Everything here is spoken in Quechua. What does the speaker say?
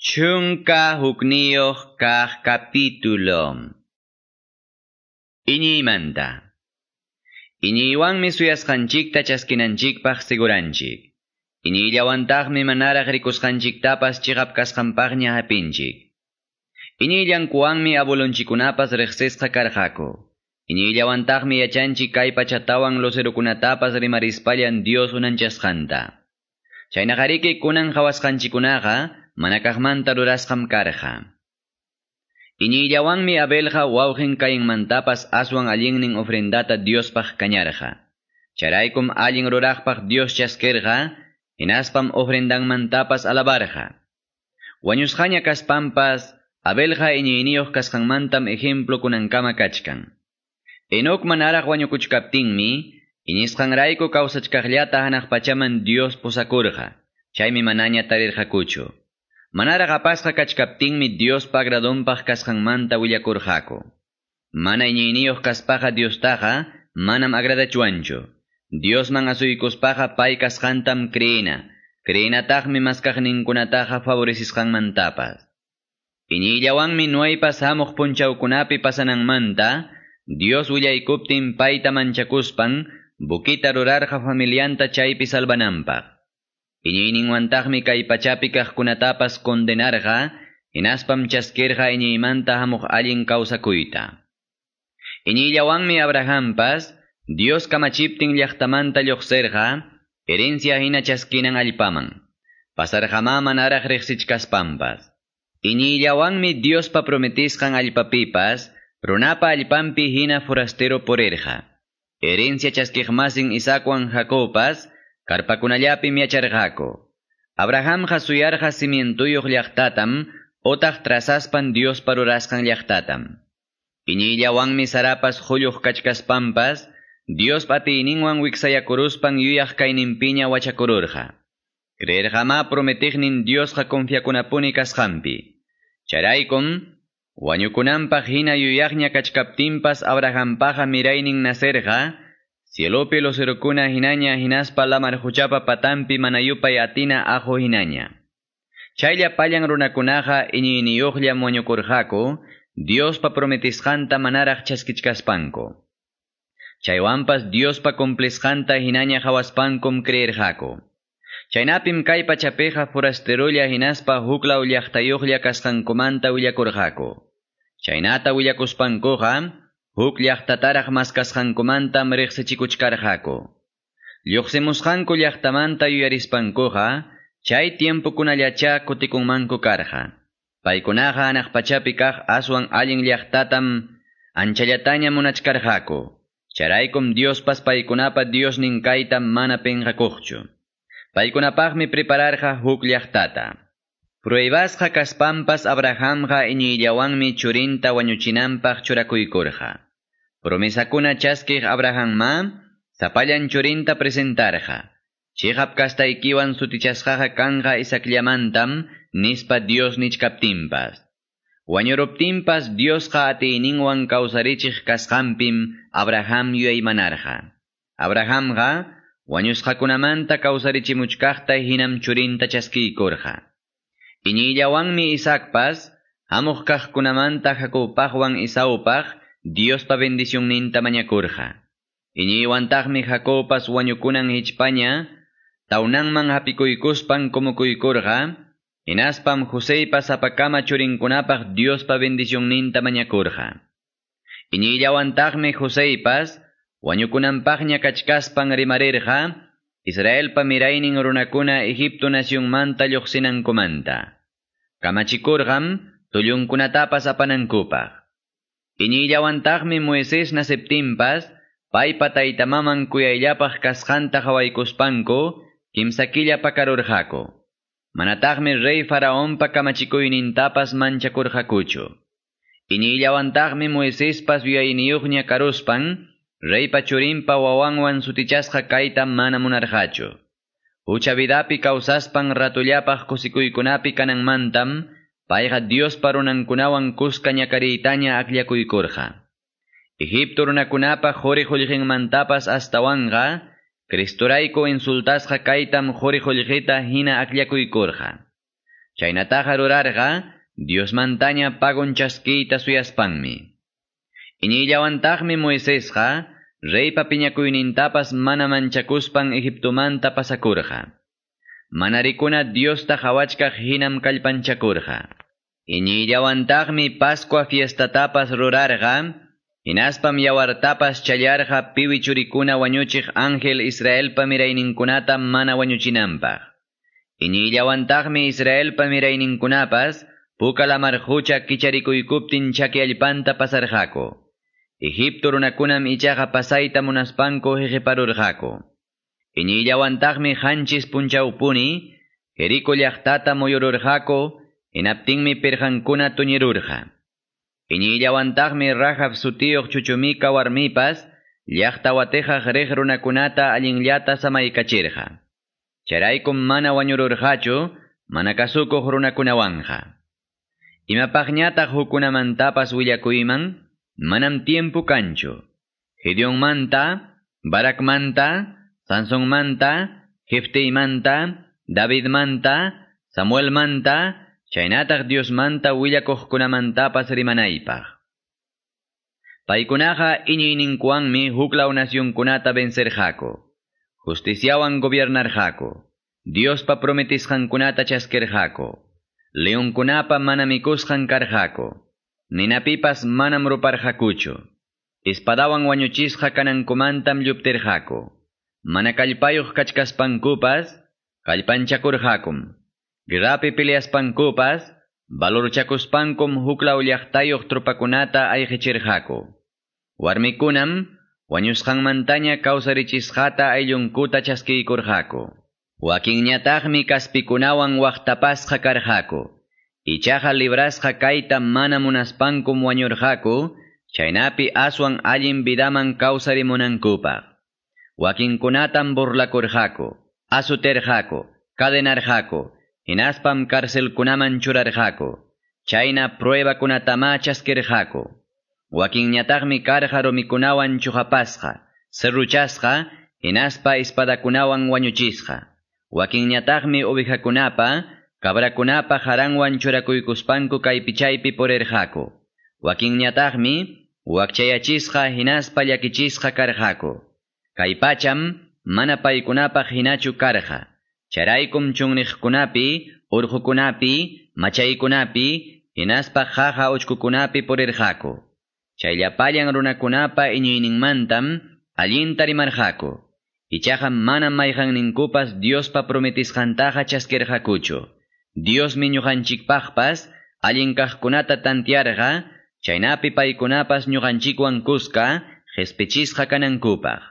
11 kaq capítulo. Iñiymanta. Iñiywanmi suyasqanchikta chaskinanchikpaq siguranchik. Iñiyllawantaqmi manaraq rikusqanchiktapas chiqap kasqanpaqña hapinchik. Iñiyllankuwanmi abuelonchikkunapas riqsisqa karqaku. Iñiyllawantaqmi yachanchik kay pachatawan lucerokunatapas rimarispallan Dios unanchasqanta. Chaynaqariki kunan qhawasqanchikkunaqa mana kaqmanta rurasqam karqa. Iñiyllawanmi Abelqa wawqin Cainmantapas aswan allinnin ofrendata Diospaq kañarqa. Chayraykum allin ruraqpaq Dios chaskirqa, hinaspam ofrendanmantapas alabarqa. Wañusqaña kaspanpas, Abelqa iñiyniyuq kasqanmantam ejemplo kunankama kachkan. Enoc manaraq wañukuchkaptinmi, iñisqanrayku kawsachkaqllata hanaq pachaman Dios pusakurqa, chaymi manaña tarirqakuchu. Manaraq apasqa kachkaptinmi Diospa agradonpaq kasqanmanta willakurqaku. Mana iñiyniyuq kaspaqa Diostaqa manam agradachwanchu. Diosman asuykuspaqa pay kasqantam creena, creenataqmi maskaqninkunataqa favorecisqanmantapas. Iñiyllawanmi Noeypas hamuq punchawkunapi pasananmanta, Dios willaykuptin payta manchakuspan, buquita rurarqa familianta chaypi salvananpaq. Iñiyninwantaqmi kay pachapi kaqkunatapas condenarqa, hinaspam chaskirqa iñiymanta hamuq allin kawsakuyta. Iñiyllawanmi Abrahampas, Dios kamachiptin llaqtamanta lluqsirqa, herencia hina chaskinan allpaman. Pasarqamá manaraq riqsichkaspanpas. Iñiyllawanmi Diospa prometisqan allpapipas, runapa allpanpi hina forastero purirqa. Herencia chaskiqmasin Isaacwan Jacobpas, karpakunallapim yacharqaku. Abrahamqa suyarqa cimientuyuq llaqtatam, otaq trazaspan Diospa rurasqan llaqtatam. Iñiyllawanmi Sarapas qulluq kachkaspanpas, Diospa atiyninwan wiksayakuruspan yuyaq kayninpiña wachakururqa. Creerqamá prometiqnin Diosqa confiakunapuni kasqanpi. Chayraykum, wañukunanpaq hina yuyaqña kachkaptinpas Abrahampaqa miraynin nacerqa, cielopi lucerokuna hinaña hinaspa lamar quchapa patanpi mana yupay atina aqu hinaña. Chay llapallan runakunaqa iñiyniyuqllam wañukurqaku, Diospa prometisqanta manaraq chaskichkaspanku. Chaywanpas Diospa cumplisqanta hinaña qhawaspankum creerqaku. Chaynapim kay pachapiqa forasterolla hinaspa huklaw llaqtayuqlla kasqankumanta willakurqaku. Chaynata willakuspankuqa, huk llaqtataraq maskasqankumantam riqsichikuchkarqaku. Lluqsimusqanku llaqtamanta yuyarispankuqa, chay tiempokunallachá kutikunmanku karqa. Paykunaqa hanaq pachapi kaq aswan allin llaqtatam anchallataña munachkarqaku. Chayraykum Diospas paykunapa Diosnin kayta mana pinqakuqchu. Paykunapaqmi prepararqa huk llaqtata. Pruebasqa kaspanpas Abrahamqa iñiyllawanmi churinta wañuchinanpaq churakuykurqa. Promesakuna chaskiq Abrahamma sapallan churinta presentarqa. Chiqap kastaykiwan sutichasqaqa kanqa Isaacllamantam nispa Dios nichkaptinpas. Wañuruptinpas Diosqa atiyninwan kawsarichiq kasqanpim Abraham yuyaymanarqa. Abrahamqa wañusqakunamanta kawsarichimuchkaqta hinam churinta chaskiykurqa. Iñiyllawanmi Isaacpas hamuq kaqkunamanta Jacobpaqwan Esaupaq Diospa bendicionninta mañakurqa. Iñiywantaqmi Jacobpas wañukunan hichpaña tawnanman hapikuykuspan kumukuykurqa, hinaspam Joseypa sapakama churinkunapaq Diospa bendicionninta mañakurqa. Iñiyllawantaqmi Joseypas wañukunanpaqña kachkaspan rimarirqa, Israelpa miraynin runakuna Egipto nacionmanta lluqsinankumanta. Kamachikurqam tullunkunatapas apanankupaq. Iñiyllawantaqmi Moisés naceptinpas, paypa taytamaman kuyayllapaq kasqanta qhawaykuspanku, kimsa killa pakarurqaku. Manataqmi rey Faraonpa kamachikuynintapas manchakurqakuchu. Iñiyllawantaqmi Moisespas yuyayniyuqña karuspan, reypa churinpa wawanwan sutichasqa kayta mana munarqachu. Hucha vidapi kawsaspan ratullapaq kusikuykunapi kananmantam, payqa Diospa runankunawan kuska ñakariytaña akllakuykurqa. Egipto runakunapa quri qullqinmantapas astawanqa, Cristorayku insultasqa kaytam quri qullqita hina akllakuykurqa. Chaynataqa rurarqa Diosmantaña pagon chaskiyta suyaspanmi. Iñiyllawantaqmi Moisesqa reypa piñakuynintapas mana manchakuspan Egiptomanta pasakurqa. Mana rikuna Diosta qawachkaq hinam kallpanchakurqa. Iñiyllawantaqmi Pascua fiestatapas rurarqa, hinaspam yawartapas challarqa piwi churikuna wañuchiq ángel Israelpa mirayninkunata mana wañuchinanpaq. Iñiyllawantaqmi Israelpa mirayninkunapas Puka lamar qucha kicharikuykuptin chaki allpanta pasarqaku. Egipto runakunam ichaqa pasayta munaspanku hiqiparurqaku. Iñiyllawantaqmi qanchis punchawpuni Jericó llaqtata muyururqaku, hinaptinmi pirqankuna tuñirurqa. Iñiyllawantaqmi Rahab sutiyuq chuchumika warmipas llaqta watijaq riq runakunata allinllata samaykachirqa. Chayraykum mana wañururqachu, mana kasukuq runakunawanqa. Imapaqñataq hukkunamantapas willakuyman, manam tiempo kanchu. Gedeonmanta, Barakmanta, Sansonmanta, Jefteymanta, Davidmanta, Samuelmanta, chaynataq Diosmanta willakuqkunamantapas rimanaypaq. Paykunaqa iñiyninkuwanmi huklaw nacionkunata vencerqaku. Justiciawan gobiernarqaku. Diospa prometisqankunata chaskirqaku. Leonkunapa mana mikusqan karqaku. Ninapipas manam ruparqakuchu. Espadawan wañuchisqa kanankumantam lluptirqaku. Mana kallpayuq kachkaspankupas, kallpanchakurqakum. Guerrapi peleaspankupas, valorchakuspankum huklaw llaqtayuq tropakunata ayqichirqaku. Warmikunam, wañusqanmantaña kawsarichisqata ayllunkuta chaskiykurqaku. Wakinñataqmi kaspikunawan waqtapasqa karqaku. Ichaqa librasqa kayta mana munaspankum wañurqaku, chaynapi aswan allin vidaman kawsarimunankupaq. Wakinkunatam burlakurqaku, azuterqaku, cadenarqaku, hinaspam carcelkunaman churarqaku. Chayna pruebakunatamá chaskirqaku. Wakinñataqmi karqa rumikunawan chuqapasqa, serruchasqa, hinaspa espadakunawan wañuchisqa. Wakinñataqmi ovejakunapa, cabrakunapa haranwan churakuykuspanku kaypi chaypi purirqaku. Wakinñataqmi wakchayachisqa hinaspa llakichisqa karqaku. Kay pacham mana paykunapaq hinachu karqa. Chayraykum chunniqkunapi, urqukunapi, machaykunapi, hinaspa qaqa uchkukunapi purirqaku. Chay llapallan runakunapa iñiyninmantam allinta rimarqaku. Ichaqa manam mayqanninkupas Diospa prometisqantaqa chaskirqakuchu. Diosmi ñuqanchikpaqpas allin kaqkunata tantiarqa, chaynapi paykunapas ñuqanchikwan kuska qhispichisqa kanankupaq.